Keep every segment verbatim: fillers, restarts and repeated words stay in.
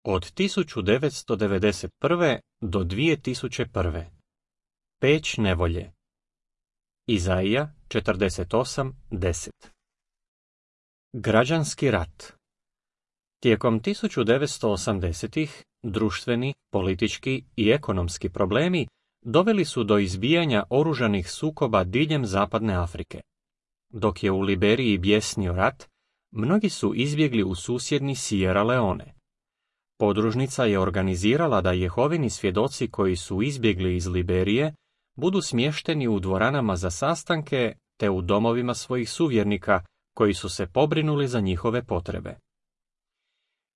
Od tisuću devetsto devedeset prve do dvije tisuće prve. Peć nevolje. Izaija četrdeset osam deset. Građanski rat. Tijekom tisuću devetsto osamdesetih društveni, politički i ekonomski problemi doveli su do izbijanja oružanih sukoba diljem zapadne Afrike. Dok je u Liberiji bjesnio rat, mnogi su izbjegli u susjedni Sierra Leone. Podružnica je organizirala da Jehovini svjedoci koji su izbjegli iz Liberije budu smješteni u dvoranama za sastanke te u domovima svojih suvjernika koji su se pobrinuli za njihove potrebe.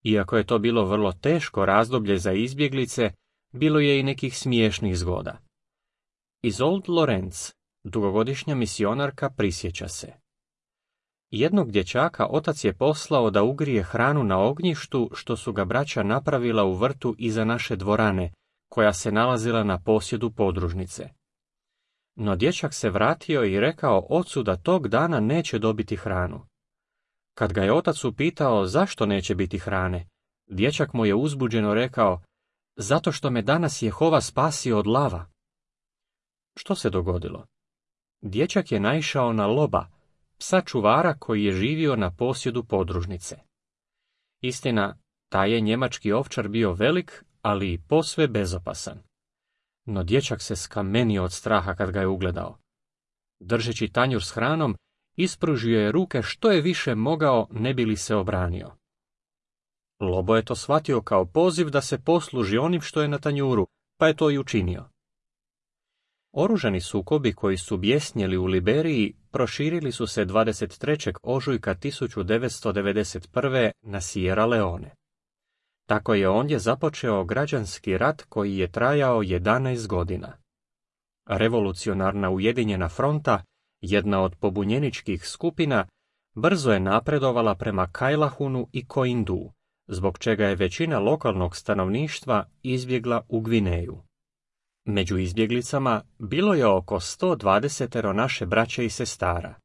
Iako je to bilo vrlo teško razdoblje za izbjeglice, bilo je i nekih smiješnih zgoda. Isolde Lorenz, dugogodišnja misionarka, prisjeća se. Jednog dječaka otac je poslao da ugrije hranu na ognjištu što su ga braća napravila u vrtu iza naše dvorane, koja se nalazila na posjedu podružnice. No dječak se vratio i rekao ocu da tog dana neće dobiti hranu. Kad ga je otac upitao zašto neće biti hrane, dječak mu je uzbuđeno rekao, zato što me danas Jehova spasio od lava. Što se dogodilo? Dječak je naišao na Loba, psa čuvara koji je živio na posjedu podružnice. Istina, taj je njemački ovčar bio velik, ali i posve bezopasan. No dječak se skamenio od straha kad ga je ugledao. Držeći tanjur s hranom, ispružio je ruke što je više mogao ne bi li se obranio. Lobo je to shvatio kao poziv da se posluži onim što je na tanjuru, pa je to i učinio. Oružani sukobi koji su bjesnjeli u Liberiji proširili su se dvadeset trećeg ožujka tisuću devetsto devedeset prve na Sierra Leone. Tako je ondje započeo građanski rat koji je trajao jedanaest godina. Revolucionarna Ujedinjena fronta, jedna od pobunjeničkih skupina, brzo je napredovala prema Kailahunu i Koindu, zbog čega je većina lokalnog stanovništva izbjegla u Gvineju. Među izbjeglicama bilo je oko sto dvadeset naše braće i sestara.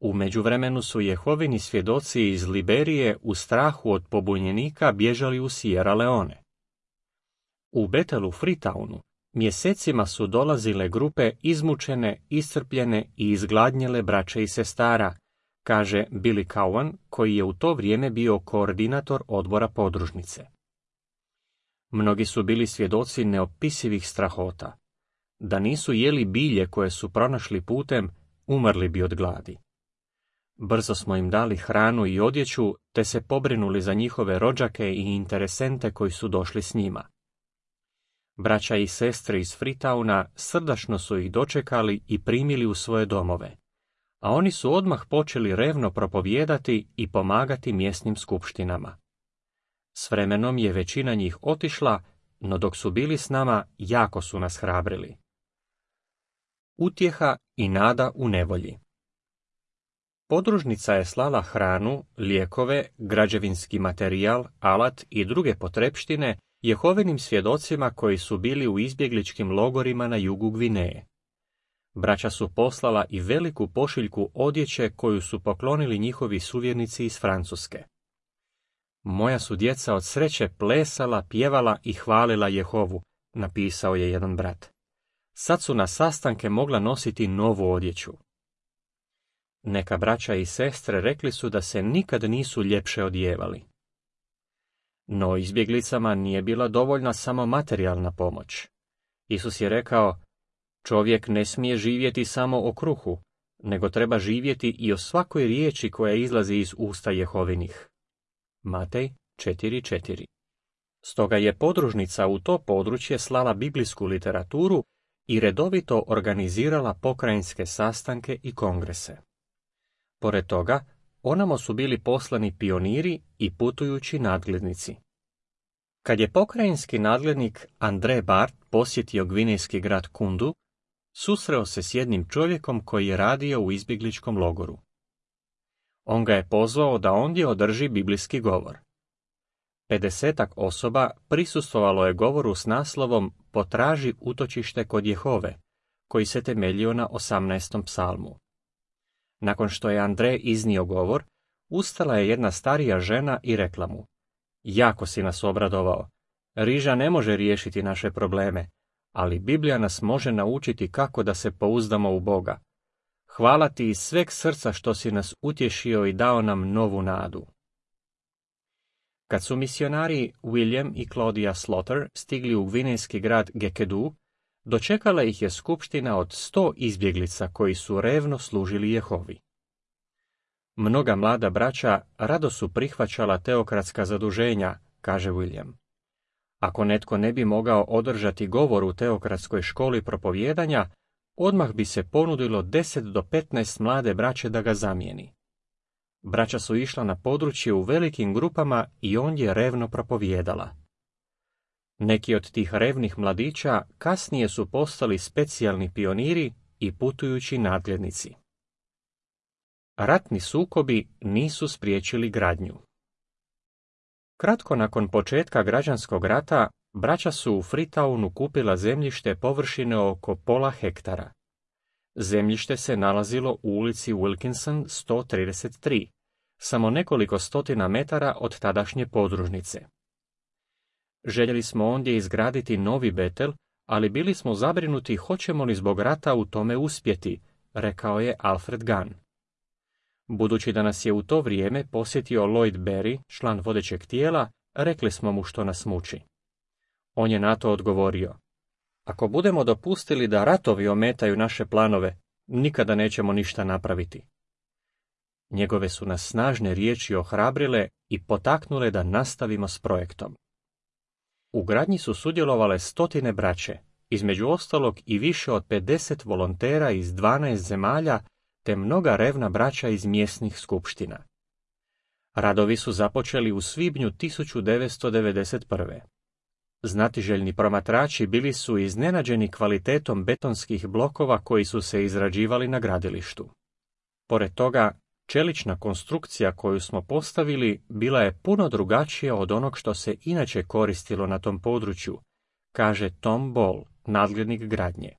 U međuvremenu su Jehovini svjedoci iz Liberije u strahu od pobunjenika bježali u Sierra Leone. U Bethelu Freetownu mjesecima su dolazile grupe izmučene, iscrpljene i izgladnjele braće i sestara, kaže Billy Cowan, koji je u to vrijeme bio koordinator odbora podružnice. Mnogi su bili svjedoci neopisivih strahota. Da nisu jeli bilje koje su pronašli putem, umrli bi od gladi. Brzo smo im dali hranu i odjeću, te se pobrinuli za njihove rođake i interesente koji su došli s njima. Braća i sestre iz Freetowna srdačno su ih dočekali i primili u svoje domove, a oni su odmah počeli revno propovijedati i pomagati mjesnim skupštinama. S vremenom je većina njih otišla, no dok su bili s nama, jako su nas hrabrili. Utjeha i nada u nevolji. Podružnica je slala hranu, lijekove, građevinski materijal, alat i druge potrepštine Jehovinim svjedocima koji su bili u izbjegličkim logorima na jugu Gvineje. Braća su poslala i veliku pošiljku odjeće koju su poklonili njihovi suvjernici iz Francuske. Moja su djeca od sreće plesala, pjevala i hvalila Jehovu, napisao je jedan brat. Sad su na sastanke mogla nositi novu odjeću. Neka braća i sestre rekli su da se nikad nisu ljepše odjevali. No izbjeglicama nije bila dovoljna samo materijalna pomoć. Isus je rekao, čovjek ne smije živjeti samo o kruhu, nego treba živjeti i o svakoj riječi koja izlazi iz usta Jehovinih. Matej četiri četiri. Stoga je podružnica u to područje slala biblijsku literaturu i redovito organizirala pokrajinske sastanke i kongrese. Pored toga, onamo su bili poslani pioniri i putujući nadglednici. Kad je pokrajinski nadglednik André Bart posjetio gvinejski grad Kundu, susreo se s jednim čovjekom koji je radio u izbjegličkom logoru. On ga je pozvao da ondje održi biblijski govor. Pedesetak osoba prisustvovalo je govoru s naslovom Potraži utočište kod Jehove, koji se temeljio na osamnaestom psalmu. Nakon što je Andrej iznio govor, ustala je jedna starija žena i rekla mu, Jako si nas obradovao. Riža ne može riješiti naše probleme, ali Biblija nas može naučiti kako da se pouzdamo u Boga. Hvala ti iz sveg srca što si nas utješio i dao nam novu nadu. Kad su misionari William i Claudia Slaughter stigli u gvinejski grad Gekedu, dočekala ih je skupština od sto izbjeglica koji su revno služili Jehovi. Mnoga mlada braća rado su prihvaćala teokratska zaduženja, kaže William. Ako netko ne bi mogao održati govor u teokratskoj školi propovijedanja, odmah bi se ponudilo deset do petnaest mlade braće da ga zamijeni. Braća su išla na područje u velikim grupama i on je revno propovijedala. Neki od tih revnih mladića kasnije su postali specijalni pioniri i putujući nadglednici. Ratni sukobi nisu spriječili gradnju. Kratko nakon početka građanskog rata, braća su u Freetownu kupila zemljište površine oko pola hektara. Zemljište se nalazilo u ulici Wilkinson sto trideset tri, samo nekoliko stotina metara od tadašnje podružnice. Željeli smo ondje izgraditi novi Betel, ali bili smo zabrinuti hoćemo li zbog rata u tome uspjeti, rekao je Alfred Gunn. Budući da nas je u to vrijeme posjetio Lloyd Berry, član vodećeg tijela, rekli smo mu što nas muči. On je na to odgovorio: ako budemo dopustili da ratovi ometaju naše planove, nikada nećemo ništa napraviti. Njegove su nas snažne riječi ohrabrile i potaknule da nastavimo s projektom. U gradnji su sudjelovale stotine braće, između ostalog i više od pedeset volontera iz dvanaest zemalja, te mnoga revna braća iz mjesnih skupština. Radovi su započeli u svibnju tisuću devetsto devedeset prve. Znatiželjni promatrači bili su iznenađeni kvalitetom betonskih blokova koji su se izrađivali na gradilištu. Pored toga, čelična konstrukcija koju smo postavili bila je puno drugačija od onog što se inače koristilo na tom području, kaže Tom Ball, nadglednik gradnje.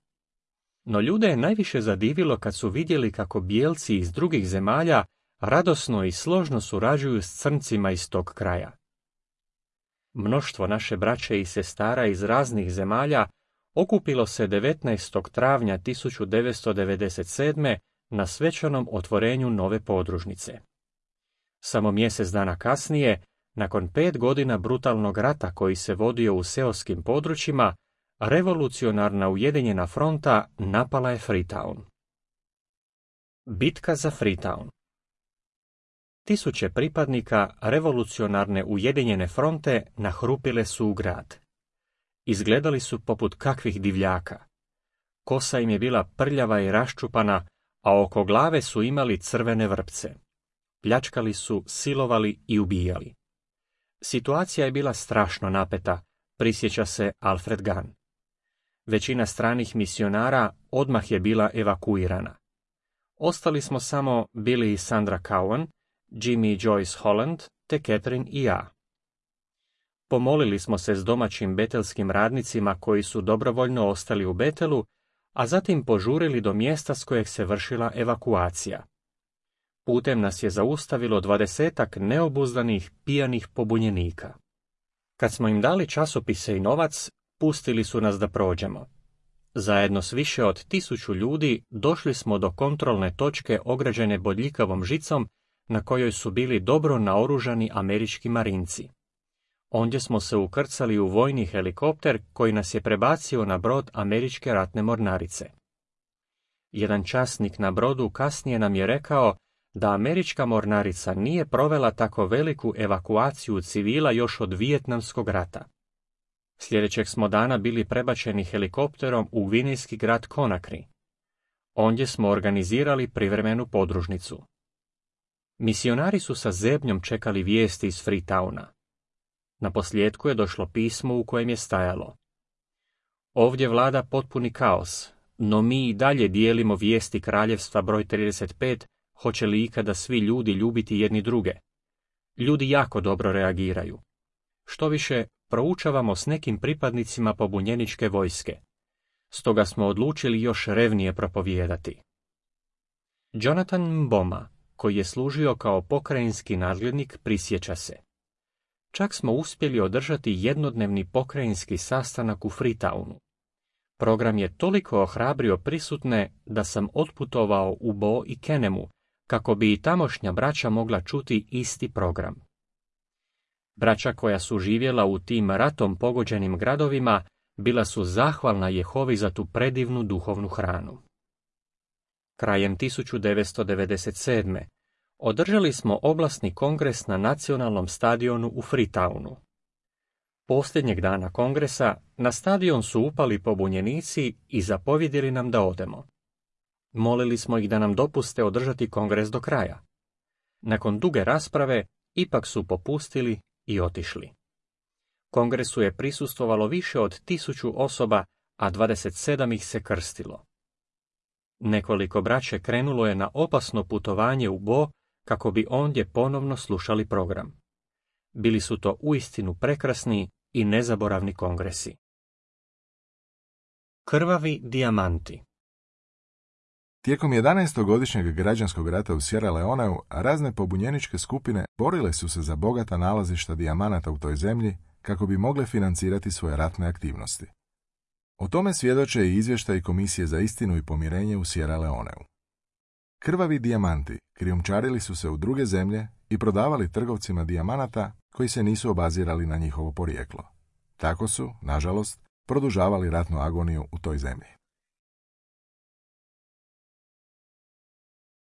No ljude je najviše zadivilo kad su vidjeli kako bijelci iz drugih zemalja radosno i složno surađuju s crncima iz tog kraja. Mnoštvo naše braće i sestara iz raznih zemalja okupilo se devetnaestog travnja tisuću devetsto devedeset sedme na svečanom otvorenju nove podružnice. Samo mjesec dana kasnije, nakon pet godina brutalnog rata koji se vodio u seoskim područjima, revolucionarna Ujedinjena fronta napala je Freetown. Bitka za Freetown. Tisuće pripadnika revolucionarne Ujedinjene fronte nahrupile su u grad. Izgledali su poput kakvih divljaka. Kosa im je bila prljava i raščupana, a oko glave su imali crvene vrpce. Pljačkali su, silovali i ubijali. Situacija je bila strašno napeta, prisjeća se Alfred Gunn. Većina stranih misionara odmah je bila evakuirana. Ostali smo samo Billy i Sandra Cowan, Jimmy i Joyce Holland, te Catherine i ja. Pomolili smo se s domaćim betelskim radnicima koji su dobrovoljno ostali u Betelu, a zatim požurili do mjesta s kojeg se vršila evakuacija. Putem nas je zaustavilo dvadesetak neobuzdanih, pijanih pobunjenika. Kad smo im dali časopise i novac, pustili su nas da prođemo. Zajedno s više od tisuću ljudi došli smo do kontrolne točke ograđene bodljikavom žicom, na kojoj su bili dobro naoružani američki marinci. Ondje smo se ukrcali u vojni helikopter koji nas je prebacio na brod američke ratne mornarice. Jedan časnik na brodu kasnije nam je rekao da američka mornarica nije provela tako veliku evakuaciju civila još od Vijetnamskog rata. Sljedećeg smo dana bili prebačeni helikopterom u gvinejski grad Conakry. Ondje smo organizirali privremenu podružnicu. Misionari su sa zebnjom čekali vijesti iz Freetowna. Naposljetku je došlo pismo u kojem je stajalo: ovdje vlada potpuni kaos, no mi i dalje dijelimo vijesti kraljevstva broj trideset pet, hoće li ikada svi ljudi ljubiti jedni druge. Ljudi jako dobro reagiraju. Štoviše, proučavamo s nekim pripadnicima pobunjeničke vojske. Stoga smo odlučili još revnije propovijedati. Jonathan Mboma, koji je služio kao pokrajinski nadglednik, prisjeća se: Čak smo uspjeli održati jednodnevni pokrajinski sastanak u Freetownu. Program je toliko ohrabrio prisutne da sam otputovao u Bo i Kenemu, kako bi i tamošnja braća mogla čuti isti program. Braća koja su živjela u tim ratom pogođenim gradovima bila su zahvalna Jehovi za tu predivnu duhovnu hranu. Krajem tisuću devetsto devedeset sedme. održali smo oblasni kongres na nacionalnom stadionu u Freetownu. Posljednjeg dana kongresa na stadion su upali pobunjenici i zapovjedili nam da odemo. Molili smo ih da nam dopuste održati kongres do kraja. Nakon duge rasprave ipak su popustili i otišli. Kongresu je prisustvovalo više od tisuću osoba, a dvadeset sedam ih se krstilo. Nekoliko braće krenulo je na opasno putovanje u Bo kako bi ondje ponovno slušali program. Bili su to uistinu prekrasni i nezaboravni kongresi. Krvavi dijamanti. Tijekom jedanaestogodišnjeg građanskog rata u Sierra Leoneu, razne pobunjeničke skupine borile su se za bogata nalazišta dijamanata u toj zemlji kako bi mogle financirati svoje ratne aktivnosti. O tome svjedoče i izvještaj Komisije za istinu i pomirenje u Sierra Leoneu. Krvavi dijamanti krijumčarili su se u druge zemlje i prodavali trgovcima dijamanata koji se nisu obazirali na njihovo porijeklo. Tako su, nažalost, produžavali ratnu agoniju u toj zemlji.